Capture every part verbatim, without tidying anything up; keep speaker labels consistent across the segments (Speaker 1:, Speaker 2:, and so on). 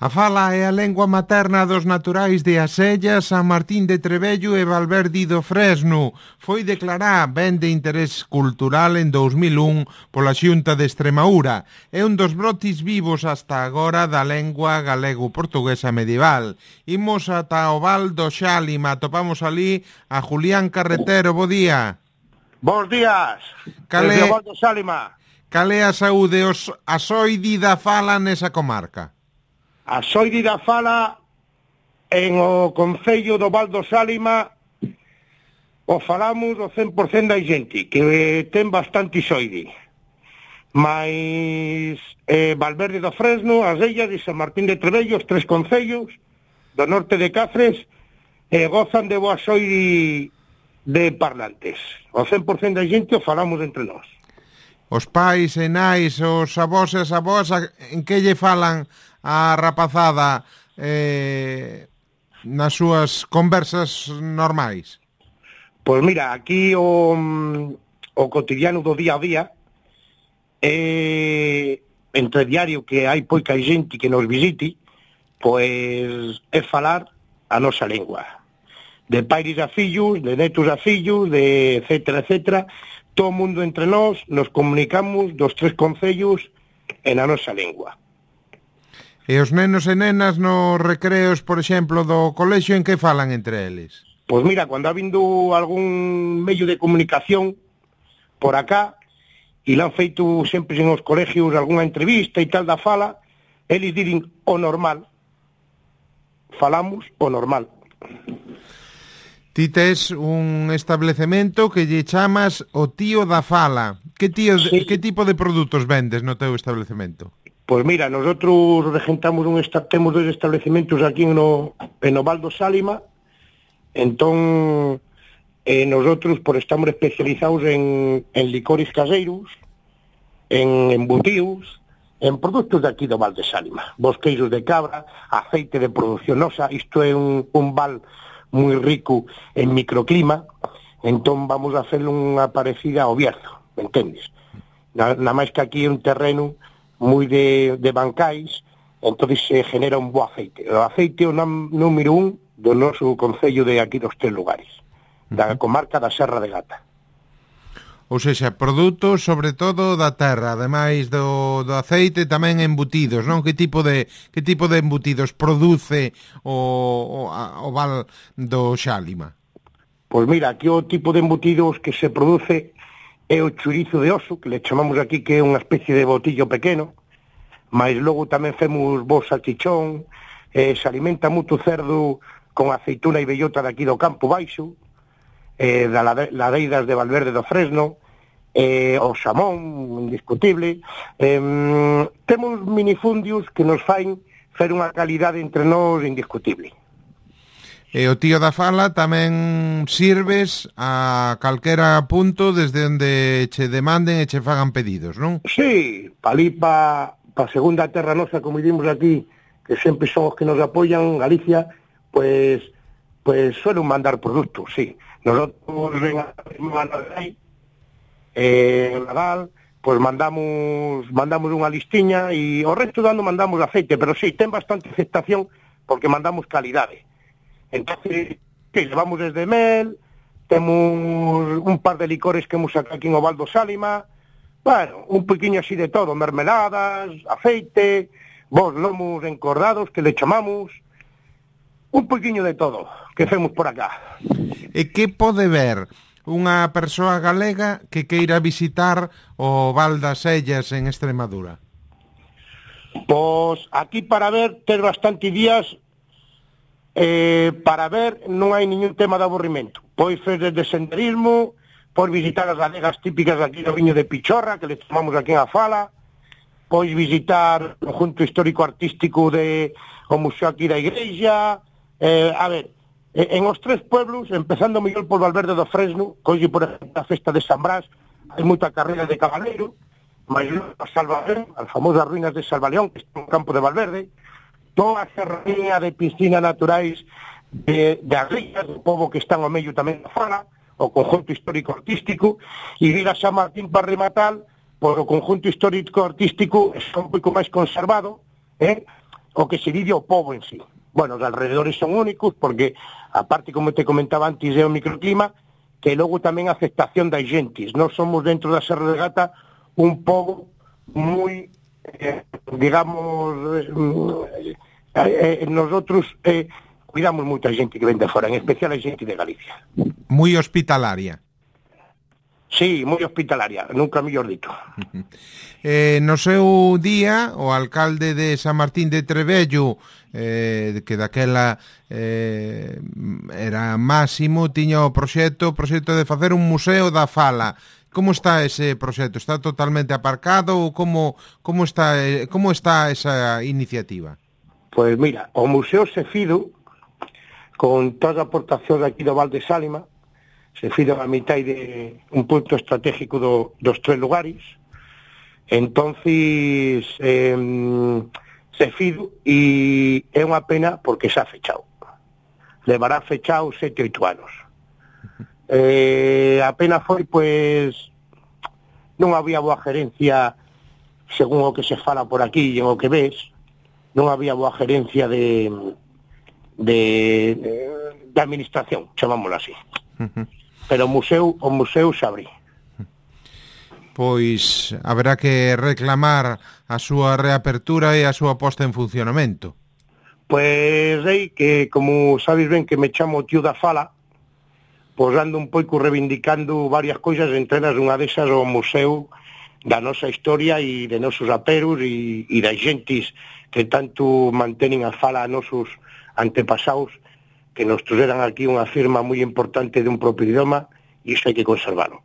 Speaker 1: A fala é a lengua materna dos naturais de Asella, San Martín de Trebello e Valverde do Fresno. Foi declarada ben de interés cultural en dous mil un pola Xunta de Extremadura. É un dos brotes vivos hasta agora da lengua galego-portuguesa medieval. Imos ata o Val do Xálima, topamos ali a Julián Carretero. Bo día.
Speaker 2: Bos días,
Speaker 1: Cale...
Speaker 2: desde o Val do Xálima.
Speaker 1: Cal é a saúde os asoidi da fala nesa comarca?
Speaker 2: A soidi da fala en o concello do Val do Xálima o falamos o cen por cento da xente, que ten bastante soidi. Mais eh, Valverde do Fresno, Asella e San Martín de Trebello, os tres concellos do norte de Cáceres, eh, gozan de boa soidi de parlantes. O cen por cento da xente o falamos entre nós.
Speaker 1: Os pais e nais, os avós e as avós, en que lle falan a rapazada eh, nas súas conversas normais?
Speaker 2: Pois mira, aquí o, o cotidiano do día a día é, entre diario que hai poica xente que nos visite, pois é falar a nosa lengua. De pais a fillos, de netos a fillos, de etcétera, etcétera, todo o mundo entre nós nos comunicamos dos tres concellos en a nosa lengua.
Speaker 1: E os nenos e nenas nos recreos, por exemplo, do colexio, en que falan entre eles?
Speaker 2: Pois mira, cando ha vindo algún medio de comunicación por acá, e le han feito sempre en os colegios algunha entrevista e tal da fala, eles diren o normal. Falamos o normal.
Speaker 1: Ti tes un establecemento que lle chamas o tío da fala. Que, tío, sí. que tipo de produtos vendes no teu establecemento?
Speaker 2: Pois mira, nosotros regentamos un esta, temos dois establecementos aquí no, en o Val do Xálima, entón eh, nosotros por estamos especializados en, en licores caseiros, en embutidos, en produtos de aquí do Val do Xálima, bosqueiros de cabra, aceite de produción nosa. Isto é un, un val moi rico en microclima, entón vamos a hacer unha parecida ao Bierzo, me entendes? Na, na máis que aquí é un terreno moi de, de bancais, entón se genera un bo aceite. O aceite é o nom, número un do noso concello de aquí dos tres lugares, da comarca da Serra de Gata.
Speaker 1: Ou seja, produtos sobre todo da terra, ademais do, do aceite, tamén embutidos, non? Que tipo de que tipo de embutidos produce o, o, o Val do Xálima?
Speaker 2: Pois mira, aquí o tipo de embutidos que se produce é o chorizo de oso, que le chamamos aquí que é unha especie de botillo pequeno, mas logo tamén femos bo salchichón, eh, se alimenta moito cerdo con aceituna e bellota de aquí do Campo Baixo, eh, da ladeiras de Valverde do Fresno, eh, o xamón, indiscutible. Eh, temos minifundios que nos fain fer unha calidade entre nós indiscutible.
Speaker 1: E o tío da fala tamén sirves a calquera punto desde onde che demanden e che fagan pedidos, non?
Speaker 2: Sí, palí pa, pa segunda terra nosa, como dimos aquí, que sempre son os que nos apoyan, Galicia, pues, pues suelen mandar productos, sí. Nosotros en Nadal, eh, Nadal, pues mandamos mandamos unha listiña e o resto dando mandamos aceite, pero sí, ten bastante aceptación porque mandamos calidade. Entonces, que llevamos desde mel, temos un par de licores que hemos sacado aquí en o Val do Xálima, bueno, un poquinho así de todo, mermeladas, aceite, vos lomos encordados que le chamamos, un poquinho de todo que femos por acá.
Speaker 1: E que pode ver unha persoa galega que queira visitar o Val das Sellas en Extremadura?
Speaker 2: Pois aquí para ver, ter bastante días. Eh, para ver non hai ningún tema de aburrimento. Pois fer desde senderismo, pois visitar as adegas típicas aquí do Viño de Pichorra, que le chamamos aquí en a fala, pois visitar o conjunto histórico-artístico de o museo aquí da igrexa, eh, a ver, en os tres pueblos, empezando mellor por Valverde do Fresno, colle por a festa de San Brás, hai moita carreira de cabaleiro, mas a Salvaleón, as famosas ruínas de Salvaleón, que está no campo de Valverde, toda a serranía de piscinas naturais de, de Agrillas, do povo que están ao medio tamén da fala, o conjunto histórico-artístico, e vir a San Martín para rematar, por o conjunto histórico-artístico está un pouco máis conservado, eh? o que se vive o povo en sí. Bueno, os alrededores son únicos porque, aparte, como te comentaba antes, é o microclima, que logo tamén a aceptación das gentes. Nós somos dentro da Serra de Gata un pobo moi, eh, digamos, eh, eh, nosotros eh, cuidamos moita xente que ven de fora, en especial a xente de Galicia.
Speaker 1: Moi hospitalaria.
Speaker 2: Sí, moi hospitalaria, nunca mellor dito.
Speaker 1: Eh, no seu día, o alcalde de San Martín de Trebello, eh, que daquela eh, era Máximo, tiña o proxecto, o proxecto de facer un museo da fala. Como está ese proxecto? Está totalmente aparcado ou como, como, está, como está esa iniciativa?
Speaker 2: Pois mira, o Museo Sefido, con toda a aportación aquí do Val de Sálima, se fido a mitad de un punto estratégico do, dos tres lugares, entonces eh, se fido e é unha pena porque xa fechado. Levará fechado sete, oito anos. Eh, a pena foi, pois, non había boa gerencia, según o que se fala por aquí e o que ves, non había boa gerencia de de, de, de administración, chamámoslo así. Uh-huh. Pero o museo, o museo xa abrí.
Speaker 1: Pois haberá que reclamar a súa reapertura e a súa posta en funcionamento.
Speaker 2: Pois aí que, como sabes ben que me chamo tío da fala, pois ando un pouco reivindicando varias cousas, entre elas unha desas o museo da nosa historia e de nosos aperos e, e das gentes que tanto mantenen a fala a nosos antepasados, que nos trouxeran aquí unha firma moi importante de un propio idioma, e iso hai que conservarlo.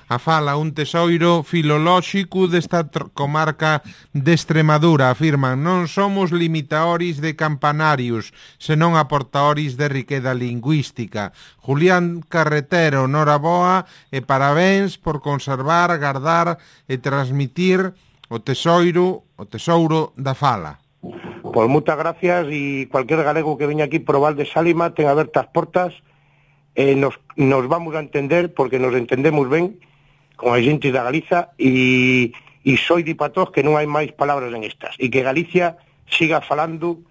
Speaker 1: A fala, un tesoiro filolóxico desta comarca de Extremadura, afirman, non somos limitaoris de campanarios, senón aportaoris de riqueza lingüística. Julián Carretero, noraboa e parabéns por conservar, guardar e transmitir o tesoiro, o tesouro da fala.
Speaker 2: Pois moitas gracias, e cualquier galego que veña aquí por o Val de Sálima ten abertas portas, eh, nos, nos vamos a entender porque nos entendemos ben con a xente da Galiza, e, e soi de patós que non hai máis palabras en estas, e que Galicia siga falando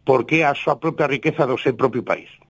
Speaker 2: porque é a súa propia riqueza do seu propio país.